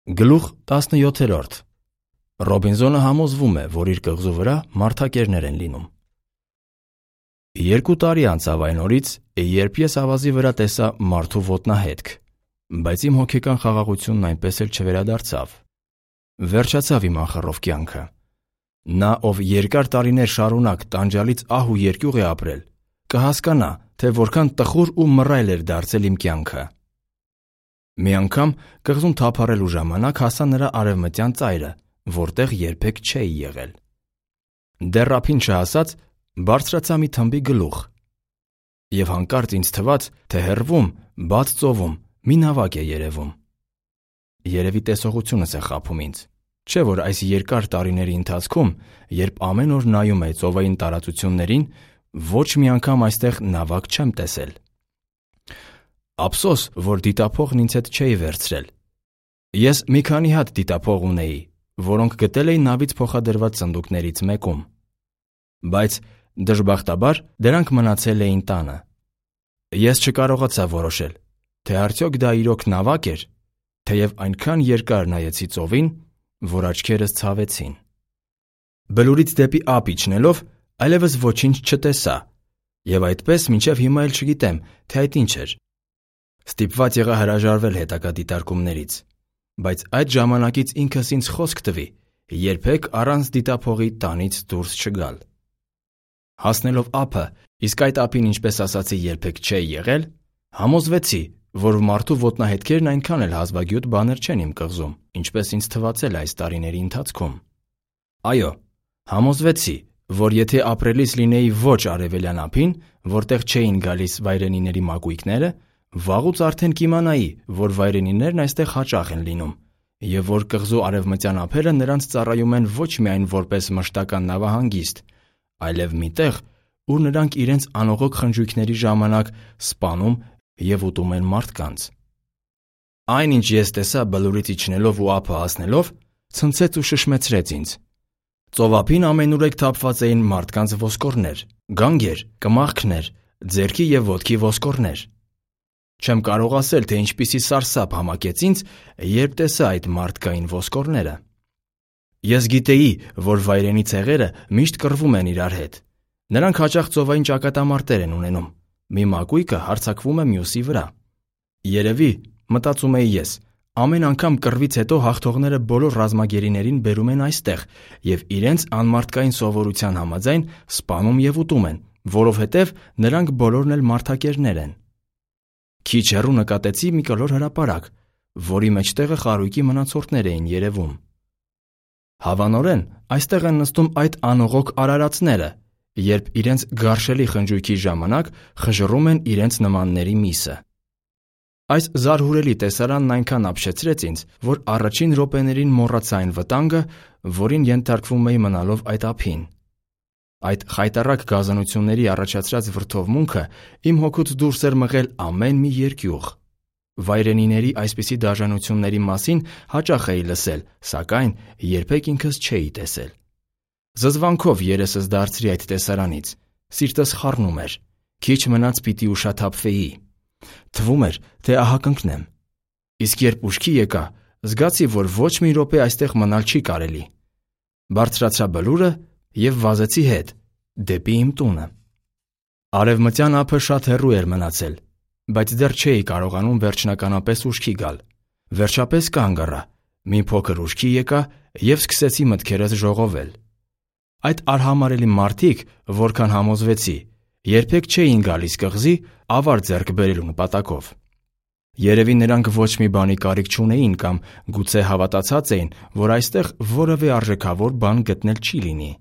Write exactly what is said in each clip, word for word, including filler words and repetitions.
Գլուխ տասնյոթերորդ Ռոբինզոնը համոզվում է, որ իր կղզու վրա մարդակերներ են լինում։ Երկու տարի անցավ այն օրից, երբ ես ավազի վրա տեսա մարդու ոտնահետք, բայց իմ հոգեկան խաղաղությունն այնպես էլ չվերադարձավ։ Վերջացավ իմ անխռով կյանքը։ Նա, ով երկար տարիներ շարունակ տանջալից ահ ու երկյուղ է ապրել, կհասկանա, թե որքան տխուր ու մռայլ էր դարձել իմ կյանքը։ Մի անգամ կղզուն թափառելու ժամանակ հասա նրա արևմտյան ծայրը, որտեղ երբեք չէի եղել։ Դեռ ափին չհասած բարձրացա մի թմբի գլուխ, և հանկարծ ինձ թվաց, թե հեռվում, բաց ծովում մի նավակ է երևում։ Երևի տեսողությունս է խաբում ինձ, չէ՞ որ այս երկար տարիների ընթացքում, երբ ամեն օր նայում էի ծովային տարածություններին, ոչ մի անգամ այստեղ նավակ չեմ տեսել։ Ափսոս, որ դիտափողն ինձ հետ չէի վերցրել։ Ես մի քանի հատ դիտափող ունեի, որոնք գտել էի նավից փոխադրված սնդուկներից մեկում։ Բայց դժբախտաբար դրանք մնացել էին տանը։ Ես չկարողացա որոշել, թե արդյոք դա իրոք նավակ էր, թեև այնքան երկար նայեցի ծովին, որ աչքերս ցավեցին։ Բլուրից դեպի ափ իջնելով այլևս ոչինչ չտեսա, և այդպես մինչև հիմա էլ չգիտեմ, թե այդ ինչ էր։ Ստիպված եղա հրաժարվել հետագա դիտարկումներից, բայց այդ ժամանակից ինքս ինձ խոսք տվի երբեք առանց դիտափողի տանից դուրս չգալ։ Հասնելով ափը, իսկ այդ ափին, ինչպես ասացի, երբեք չէի եղել, համոզվեցի, որ մարդու ոտնահետքերն այնքան էլ հազվագյուտ բաներ չեն իմ կղզում, ինչպես ինձ թվացել այս տարիների ընթացքում։ Այո, համոզվեցի, որ եթե ապրելիս լինեի ոչ արևելյան ափին, որտեղ չէին գալիս վայրենիների մակույկները, վաղուց արդեն կիմանայի, որ վայրենիներն այստեղ հաճախ են լինում, և որ կղզու արևմտյան ափերը նրանց ծառայում են ոչ միայն որպես մշտական նավահանգիստ, այլև մի տեղ, ուր նրանք իրենց անողոք խնջույքների ժամանակ սպանում և ուտում են մարդկանց։ Այն, ինչ ես տեսա բլուրից իջնելով ու ափը հասնելով, ցնցեց ու շշմեցրեց ինձ։ Ծովափին ամենուրեք թափված էին մարդկանց ոսկորներ, գանգեր, կմախքներ, ձեռքի և ոտքի ոսկորներ։ Չեմ կարող ասել, թե ինչպիսի սարսափ համակեց ինձ, երբ տեսա այդ մարդկային ոսկորները։ Ես գիտեի, որ վայրենի ցեղերը միշտ կռվում են իրար հետ։ Նրանք հաճախ ծովային ճակատամարտեր են ունենում։ Մի մակույկը հարձակվում է մյուսի վրա։ Երևի, մտածում էի ես, ամեն անգամ կռվից հետո հաղթողները բոլոր ռազմագերիներին բերում են այստեղ և իրենց անմարդկային սովորության համաձայն սպանում և ուտում են, որովհետև նրանք բոլորն էլ մարդակերներ են։ Քիչ հեռու նկատեցի մի կլոր հրապարակ, որի մեջտեղը խարույկի մնացորդներ էին երևում։ Հավանորեն, այստեղ են նստում այդ անողոք արարածները, երբ իրենց գարշելի խնջույքի ժամանակ խժռում են իրենց նմանների միսը։ Այս զարհուրելի տեսարանն այնքան ապշեցրեց ինձ, որ առաջին րոպեներին մոռացա այն վտանգը, որին ենթարկվում էի մնալով այդ ափին։ Այդ խայտառակ գազանությունների առաջացրած վրդովմունքը իմ հոգուց դուրս էր մղել ամեն մի երկյուղ։ Վայրենիների այսպիսի դաժանությունների մասին հաճախ էի լսել, սակայն երբեք ինքս չէի տեսել։ Զզվանքով երեսս դարձրի այդ տեսարանից, սիրտս խառնում էր, քիչ մնաց պիտի ուշաթափվեի։ Թվում էր, թե ահա կընկնեմ։ Իսկ երբ ուշքի եկա, զգացի, որ ոչ մի րոպե այստեղ մնալ չի կարելի։ Բարձրացա բլուրը և վազեցի հետ, դեպի իմ տունը։ Արևմտյան ափը շատ հեռու էր մնացել, բայց դեռ չէի կարողանում վերջնականապես ուշքի գալ։ Վերջապես կանգ առա, մի փոքր ուշքի եկա և սկսեցի մտքերս ժողովել։ Այդ արհամարհելի մարդիկ, որքան համոզվեցի, երբեք չէին գալիս կղզի ավար ձեռք բերելու նպատակով։ Երևի նրանք ոչ մի բանի կարիք չունեին կամ գուցե հավատացած էին, որ այստեղ որևէ արժեքավոր բան գտնել չի լինի։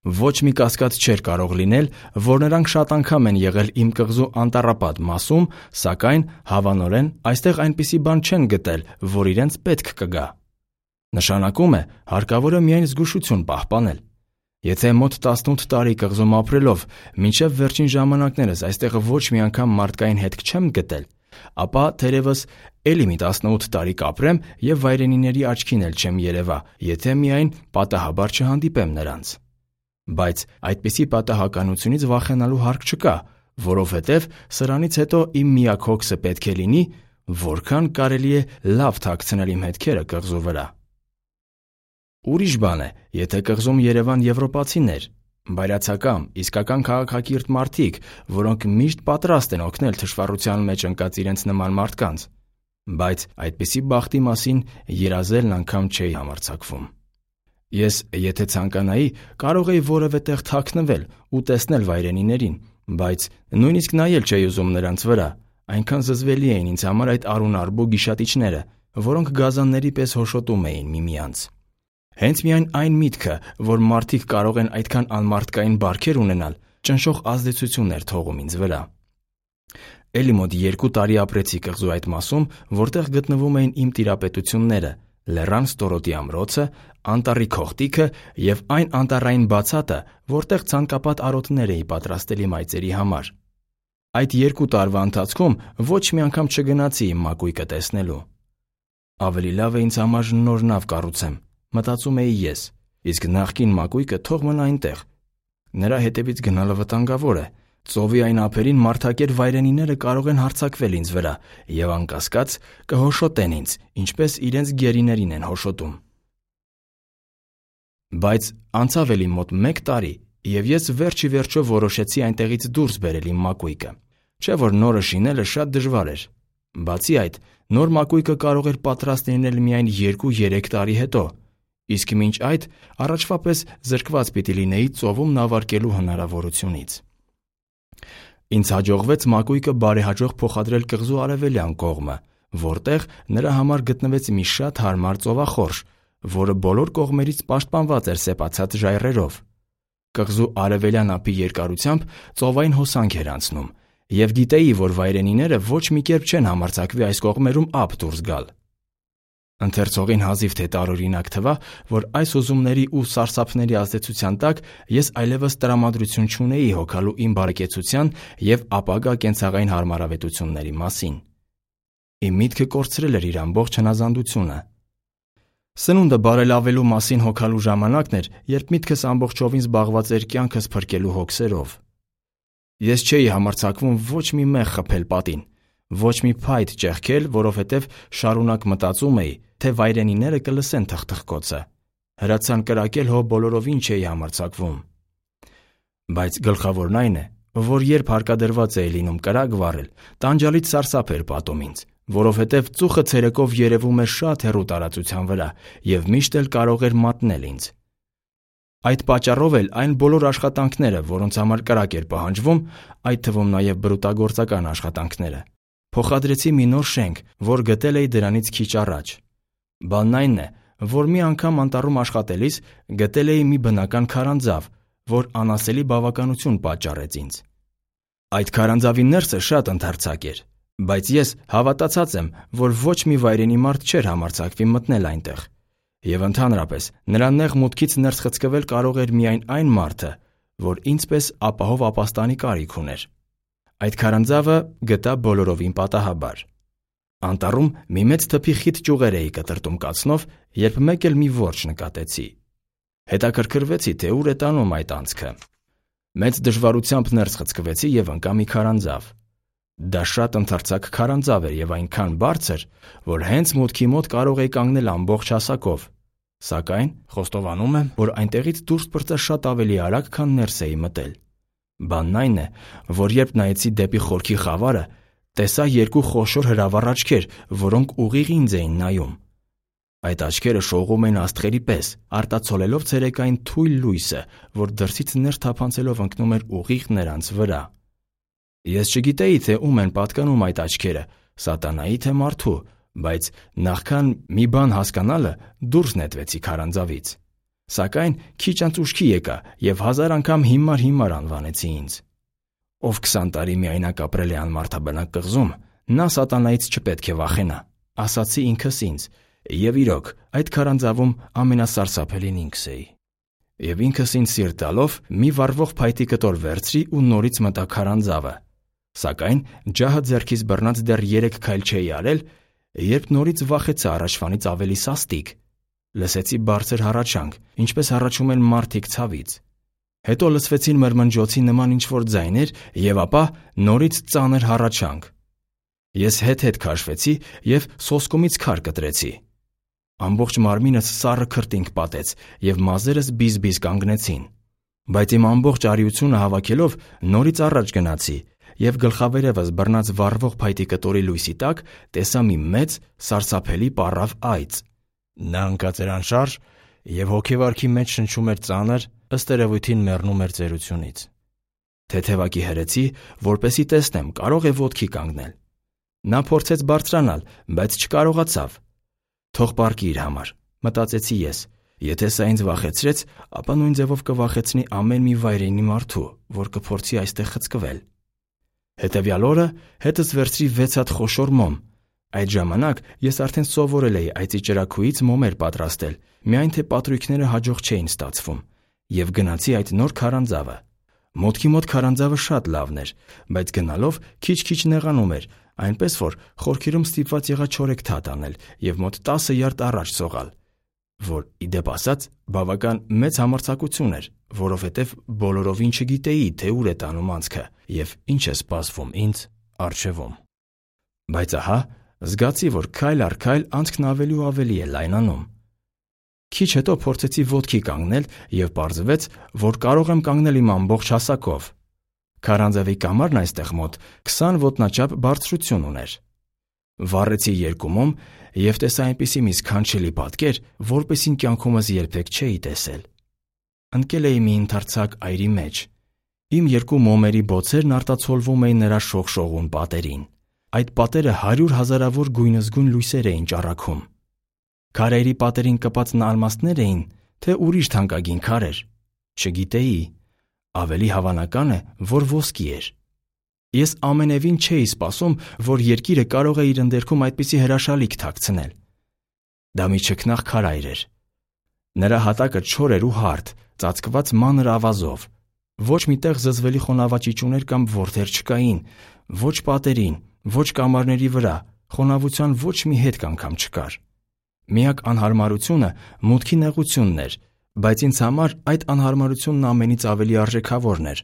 Ոչ մի կասկած չէր կարող լինել, որ նրանք շատ անգամ են եղել իմ կղզու անտառապատ մասում, սակայն հավանորեն այստեղ այնպիսի բան չեն գտել, որ իրենց պետք կգա։ Նշանակում է, հարկավոր է միայն զգուշություն պահպանել։ Եթե մոտ տասնութ տարի կղզում ապրելով մինչև վերջին ժամանակներս այստեղ ոչ մի անգամ մարդկային հետք չեմ գտել, ապա թերևս էլի մի տասնութ տարի կապրեմ և վայրենիների աչքին էլ չեմ երևա, եթե միայն պատահաբար չհանդիպեմ նրանց։ Բայց այդպիսի պատահականությունից վախենալու հարկ չկա, որովհետև սրանից հետո իմ միակ հոգսը պետք է լինի, որքան կարելի է լավ թաքցնել իմ հետքերը կղզու վրա։ Ուրիշ բան է, եթե կղզում երևան եվրոպացիներ, բայրացակամ, իսկական քաղաքակիրթ մարդիկ, որոնք միշտ պատրաստ են օգնել թշվառության մեջ ընկած իրենց նման մարդկանց, բայց այդպիսի բախտի մասին երազելն անգամ չէի համարձակվում։ Ես, եթե ցանկանայի, կարող էի որևէ տեղ թաքնվել ու տեսնել վայրենիներին, բայց նույնիսկ նայել չէի ուզում նրանց վրա, այնքան զզվելի էին ինձ համար այդ արուն-արբու գիշատիչները, որոնք գազանների պես հոշոտում էին միմյանց։ Հենց միայն այն միտքը, որ մարդիկ կարող են այդքան անմարդկային բարքեր ունենալ, ճնշող ազդեցություն էր թողում ինձ վրա։ Էլի մոտ երկու տարի ապրեցի կղզու այդ մասում, որտեղ գտնվում էին իմ տիրապետությունները, Լեռան ստորոտի ամրոցը, անտառի քողտիքը և այն անտառային բացատը, որտեղ ցանկապատ արոտներ էի պատրաստել իմ այծերի համար։ Այդ երկու տարվա ընթացքում ոչ մի անգամ չգնացի իմ մակույկը տեսնելու։ Ավելի լավ է ինձ համար նոր նավ կառուցեմ, մտածում էի ես, իսկ նախկին մակույկը թող մնա այնտեղ։ Նրա հետևից գնալը վտանգավոր է։ Ծովի այն ափերին մարդակեր վայրենիները կարող են հարձակվել ինձ վրա և անկասկած կհոշոտեն ինձ, ինչպես իրենց գերիներին են հոշոտում։ Բայց անցավ էլի մոտ մեկ տարի, և ես վերջ ի վերջո որոշեցի այնտեղից դուրս բերել իմ մակույկը, չէ՞ որ նորը շինելը շատ դժվար էր։ Բացի այդ, նոր մակույկը կարող էր պատրաստ լինել միայն երկու-երեք տարի հետո, իսկ մինչ այդ առաջվա պես զրկված պիտի լինեի ծովում նավարկելու հնարավորությունից։ Ինձ հաջողվեց մակույկը բարեհաջող փոխադրել կղզու արևելյան կողմը, որտեղ նրա համար գտնվեց մի շատ հարմար ծովախորշ, որը բոլոր կողմերից պաշտպանված էր սեպացած ժայռերով։ Կղզու արևելյան ափի երկարությամբ ծովային հոսանք էր անցնում, և գիտեի, որ վայրենիները ոչ մի կերպ չեն համարձակվի այս կողմերում ափ դուրս գալ։ Ընթերցողին հազիվ թե տարօրինակ թվա, որ այս ուզումների ու սարսափների ազդեցության տակ ես այլևս տրամադրություն չունեի հոգալու իմ բարեկեցության և ապագա կենցաղային հարմարավետությունների մասին։ Իմ միտքը կորցրել էր իր ամբողջ հնազանդությունը։ Սնունդը բարելավելու մասին հոգալու ժամանակն էր, երբ միտքս ամբողջովին զբաղված էր կյանքս փրկելու հոգսերով։ Ես չէի համարձակվում ոչ մի մեղ խփել պատին, ոչ մի փայտ ճեղքել, որովհետև շարունակ մտածում էի, թե վայրենիները կլսեն թխթխկոցը։ Հրացան կրակել հո բոլորովին չէի համարձակվում։ Բայց գլխավորն այն է, որ երբ հարկադրված էի լինում կրակ վառել, տանջալից սարսափ էր պատում ինձ, որովհետև ծուխը ցերեկով երևում էր շատ հեռու տարածության վրա և միշտ էլ կարող էր մատնել ինձ։ Այդ պատճառով էլ այն բոլոր աշխատանքները, որոնց համար կրակ էր պահանջվում, այդ թվում նաև բրուտագործական աշխատանքները, փոխադրեցի մի նոր շենք, որ գտել էի դրանից քիչ առաջ։ Բանն այն է, որ մի անգամ անտառում աշխատելիս գտել էի մի բնական քարանձավ, որ անասելի բավականություն պատճառեց ինձ։ Այդ քարանձավի ներսը շատ ընդարձակ էր, բայց ես հավատացած եմ, որ ոչ մի վայրենի մարդ չէր համարձակվի մտնել այնտեղ, և ընդհանրապես նրա նեղ մուտքից ներս խցկվել կարող էր միայն այն մարդը, որ ինձ պես ապահով ապաստանի կարիք ուներ։ Այդ քարանձավը գտա բոլորովին պատահաբար։ Անտառում մի մեծ թփի խիտ ճյուղեր էի կտրտում կացնով, երբ մեկ էլ մի որջը նկատեցի։ Հետաքրքրվեցի, թե ուր է տանում այդ անցքը։ Մեծ դժվարությամբ ներս խցկվեցի և ընկա մի քարանձավ։ Դա շատ ընդարձակ քարանձավ էր և այնքան բարձր, որ հենց մուտքի մոտ կարող էի կանգնել ամբողջ հասակով, սակայն խոստովանում եմ, որ այնտեղից դուրս պրծա շատ ավելի արագ, քան ներս էի մտել։ Բանն այն է, որ երբ նայեցի դեպի խորքի խավարը, տեսա երկու խոշոր հրավառ աչքեր, որոնք ուղիղ ինձ էին նայում։ Այդ աչքերը շողում էին աստղերի պես, արտացոլելով ցերեկային թույլ լույսը, որ դրսից ներս թափանցելով ընկնում էր ուղիղ նրանց վրա։ Ես չգիտեի, թե ում են պատկանում այդ աչքերը, սատանայի թե մարդու, բայց նախքան մի բան հասկանալը դուրս նետվեցի քարանձավից։ Սակայն քիչ անց ուշքի եկա և հազար անգամ հիմար-հիմար անվանեցի ինձ։ Ով քսան տարի միայնակ ապրել է անմարդաբնակ կղզում, նա սատանայից չպետք է վախենա, ասացի ինքս ինձ, և իրոք այդ քարանձավում ամենասարսափելին ինքս էի։ Եվ ինքս ինձ սիրտ տալով մի վառվող փայտի կտոր վերցրի ու նորից մտա քարանձավը։ Սակայն ջահը ձեռքից բռնած դեռ երեք քայլ չէի արել, երբ նորից վախեցա առաջվանից ավելի սաստիկ։ Լսեցի բարձր հառաչանք, ինչպես հառաչում են մարդիկ ցավից։ Հետո լսվեցին մրմնջոցի նման ինչ-որ ձայներ և ապա նորից ծանր հառաչանք։ Ես հետ-հետ քաշվեցի և սոսկումից քար կտրեցի։ Ամբողջ մարմինս սառը քրտինք պատեց և մազերս բիզ-բիզ կանգնեցին։ Բայց իմ ամբողջ արիությունը հավաքելով նորից առաջ գնացի և գլխավերևս բռնած վառվող փայտի կտորի լույսի տակ տեսա մի մեծ, սարսափելի պառավ այծ։ Նա ընկած էր անշարժ և հոգեվարքի մեջ շնչում էր ծանր, ըստ երևույթին մեռնում էր ծերությունից։ Թեթևակի հրեցի, որպեսզի տեսնեմ կարո՞ղ է ոտքի կանգնել։ Նա փորձեց բարձրանալ, բայց չկարողացավ։ Թող պառկի իր համար, մտածեցի ես։ Եթե սա ինձ վախեցրեց, ապա նույն ձևով կվախեցնի ամեն մի վայրենի մարդու, որ կփորձի այստեղ խցկվել։ Հետևյալ օրը հետս վերցրի վեց հատ խոշոր մոմ։ Այդ ժամանակ ես արդեն սովորել էի այծի ճրագույից մոմեր պատրաստել, միայն թե պատրույքները հաջող չէին ստացվում, և գնացի այդ նոր քարանձավը։ Մոտքի մոտ քարանձավը շատ լավն էր, բայց գնալով քիչ-քիչ նեղանում էր, այնպես որ խորքերում ստիպված եղա չորեքթաթ անել և մոտ տասը յարդ առաջ սողալ, որ, ի դեպ ասած, բավական մեծ համարձակություն էր, որովհետև բոլորովին չգիտեի, թե ուր է տանում անցքը և ինչ է սպասվում ինձ առջևում։ Բայց ահա զգացի, որ քայլ առ քայլ անցքն ավելի ու ավելի է լայնանում։ Քիչ հետո փորձեցի ոտքի կանգնել և պարզվեց, որ կարող եմ կանգնել իմ ամբողջ հասակով։ Քարանձավի կամարն այստեղ մոտ քսան ոտնաչափ բարձրություն ուներ։ Վառեցի երկու մոմ և տեսա այնպիսի մի սքանչելի պատկեր, որպեսզի կյանքումս երբեք չէի տեսել։ Ընկել էի մի ընդարձակ այրի մեջ։ Իմ երկու մոմերի բոցերն արտացոլվում էին նրա շողշողուն պատերին։ Այդ պատերը հարյուր հազարավոր գույնզգույն լույսեր էին ճառագում։ Քարայրի պատերին կպած ալմաստներ էին, թե ուրիշ թանկագին քարեր։ Չգիտեի։ Ավելի հավանական է, որ ոսկի էր։ Ես ամենևին չէի սպասում, որ երկիրը կարող է իր ընդերքում այդպիսի հրաշալիք թաքցնել։ Դա մի չքնաղ քարայր էր։ Նրա հատակը չոր էր ու հարթ, ծածկված մանր ավազով։ Ոչ մի տեղ զզվելի խոնավաճիճուներ կամ որդեր չկային, ոչ պատերին, ոչ կամարների վրա, խոնավության ոչ մի հետք անգամ չկար։ Միակ անհարմարությունը մուտքի նեղությունն էր, բայց ինձ համար այդ անհարմարությունն ամենից ավելի արժեքավորն էր,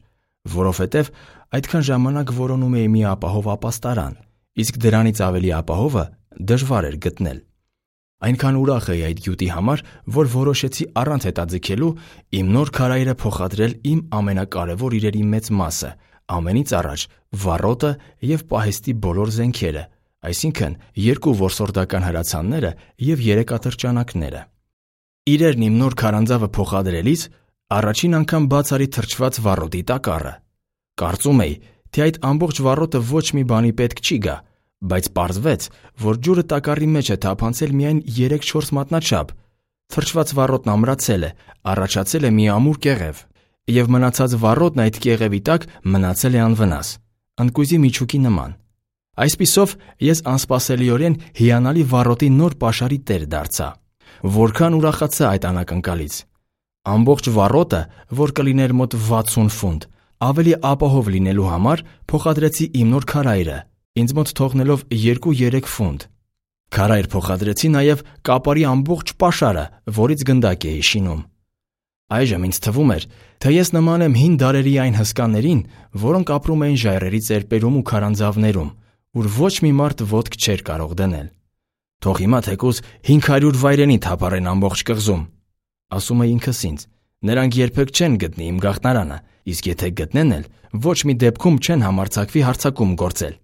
որովհետև այդքան ժամանակ որոնում էի մի ապահով ապաստարան, իսկ դրանից ավելի ապահովը դժվար էր գտնել։ Այնքան ուրախ էի այդ գյուտի համար, որ որոշեցի առանց հետաձգելու իմ նոր քարայրը փոխադրել իմ ամենակարևոր իրերի մեծ մասը, ամենից առաջ վառոտը և պահեստի բոլոր զենքերը, այսինքն երկու որսորդական հրացանները և երեք ատրճանակները։ Իրերն իմ նոր քարանձավը փոխադրելիս առաջին անգամ բաց արի թրջված վառոտի տակառը։ Կարծում էի, թե այդ ամբողջ վառոտը ոչ մի բանի պետք չի գա, բայց պարզվեց, որ ջուրը տակառի մեջ է թափանցել միայն երեք-չորս մատնաչափ։ Թրջված վառոտն ամրացել է, առաջացել է մի ամուր կեղև, և մնացած վառոտն այդ կեղևի տակ մնացել է անվնաս, ընկույզի միջուկի նման։ Այսպիսով ես անսպասելիորեն հիանալի վառոտի նոր պաշարի տեր դարձա։ Որքան ուրախացա այդ անակնկալից։ Ամբողջ վառոտը, որ կլիներ մոտ վաթսուն ֆունտ, ավելի ապահով լինելու համար փոխադրեցի իմ նոր քարայրը, ինձ մոտ թողնելով երկու-երեք ֆունտ։ Քարայր փոխադրեցի նաև կապարի ամբողջ պաշարը, որից գնդակ էի շինում։ Այժմ ինձ թվում էր, թե ես նման եմ հին դարերի այն հսկաներին, որոնք ապրում էին ժայռերի ծերպերում ու քարանձավներում, ուր ոչ մի մարդ ոտք չէր կարող դնել։ Թող հիմա թեկուզ հինգ հարյուր վայրենի թափառեն ամբողջ կղզում, ասում էի ինքս ինձ, նրանք երբեք չեն գտնի իմ գաղտնարանը, իսկ եթե գտնեն էլ, ոչ մի դեպքում չեն համարձակվի հարձակում գործել։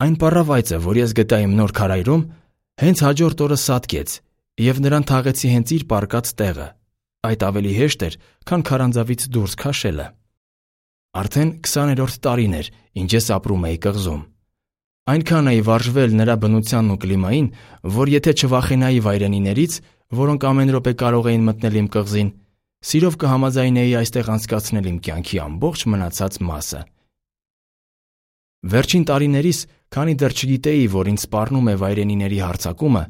Այն պառավայծը, որ ես գտա իմ նոր քարայրում, հենց հաջորդ օրը սատկեց, և նրան թաղեցի հենց իր պառկած տեղը։ Այդ ավելի հեշտ էր, քան քարանձավից դուրս քաշելը։ Արդեն քսաներորդ տարին էր, ինչ ես ապրում էի կղզում։ Այնքան էի վարժվել նրա բնությանն ու կլիմային, որ եթե չվախենայի վայրենիներից, որոնք ամեն րոպե կարող էին մտնել իմ կղզին, սիրով կհամաձայնեի այստեղ անցկացնել իմ կյանքի ամբողջ մնացած մասը։ Վերջին տարիներիս, քանի դեռ չգիտեի, որ ինձ սպառնում է վայրենիների հարձակումը,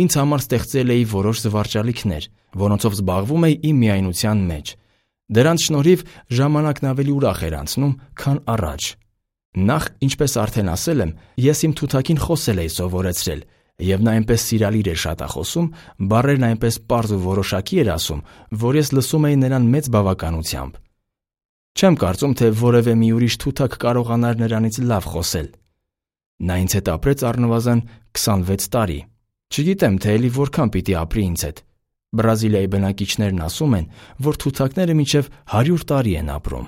ինձ համար ստեղծել էի որոշ զվարճալիքներ, որոնցով զբաղվում էի իմ միայնության մեջ։ Դրանց շնորհիվ ժամանակն ավելի ուրախ էր անցնում, քան առաջ։ Նախ, ինչպես արդեն ասել եմ, ես իմ թութակին խոսել էի սովորեցրել, և նա այնպես սիրալիր էր շատախոսում, բառերն այնպես պարզ ու որոշակի էր ասում, որ ես լսում էի նրան մեծ բավականությամբ։ Չեմ կարծում, թե որևէ մի ուրիշ թութակ կարողանար նրանից լավ խոսել։ Նա ինձ հետ ապրեց առնվազն քսանվեց տարի։ Չգիտեմ, թե էլի որքան պիտի ապրի ինձ հետ։ Բրազիլիայի բնակիչներն ասում են, որ թութակները մինչև հարյուր տարի են ապրում։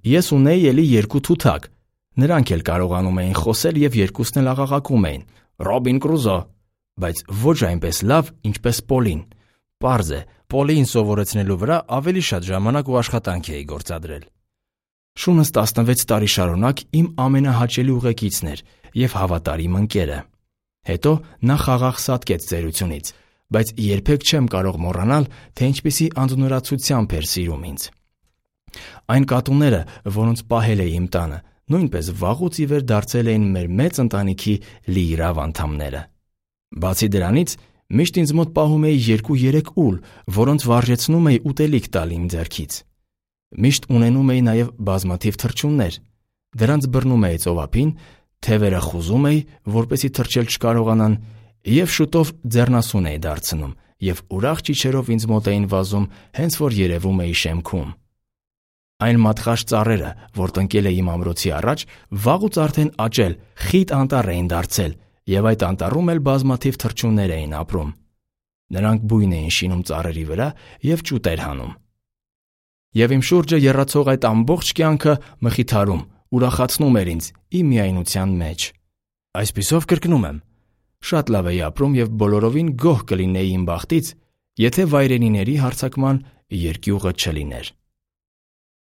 Ես ունեի էլի երկու թութակ։ Նրանք էլ կարողանում էին խոսել և երկուսն էլ աղաղակում էին. «Ռոբին Կրուզո», բայց ոչ այնպես լավ, ինչպես Պոլին։ Պարզ է, Պոլիին սովորեցնելու վրա ավելի շատ ժամանակ ու աշխատանք էի գործադրել։ Շունս տասնվեց տարի շարունակ իմ ամենահաճելի ուղեկիցն էր և հավատարիմ ընկերը։ Հետո նա խաղաղ սատկեց ծերությունից, բայց երբեք չեմ կարող մոռանալ, թե ինչպիսի անձնուրացությամբ էր սիրում ինձ։ Այն կատուները, որոնց պահել էի իմ տանը, նույնպես վաղուց ի վեր դարձել էին մեր մեծ ընտանիքի լիիրավ անդամները։ Բացի դրանից, միշտ ինձ մոտ պահում էի երկու-երեք ուլ, որոնց վարժեցնում էի ուտելիք տալ իմ ձեռքից։ Միշտ ունենում էի նաև բազմաթիվ թռչուններ։ Դրանց բռնում էի ծովափին, թևերը խուզում էի, որպեսզի թռչել չկարողանան, և շուտով ձեռնասուն էի դարձնում, և ուրախ ճիչերով ինձ մոտ էին վազում, հենց որ երևում էի շեմքում։ Այն մատղաշ ծառերը, որ տնկել էի իմ ամրոցի առաջ, վաղուց արդեն աճել, խիտ անտառ էին դարձել, և այդ անտառում էլ բազմաթիվ թռչուններ էին ապրում։ Նրանք բույն էին շինում ծառերի վրա և ճուտեր հանում։ Եվ իմ շուրջը եռացող այդ ամբողջ կյանքը մխիթարում, ուրախացնում էր ինձ իմ միայնության մեջ։ Այսպիսով կրկնում եմ, շատ լավ էի ապրում և բոլորովին գոհ կլինեի իմ բախտից, եթե վայրենիների հարձակման երկյուղը չլիներ։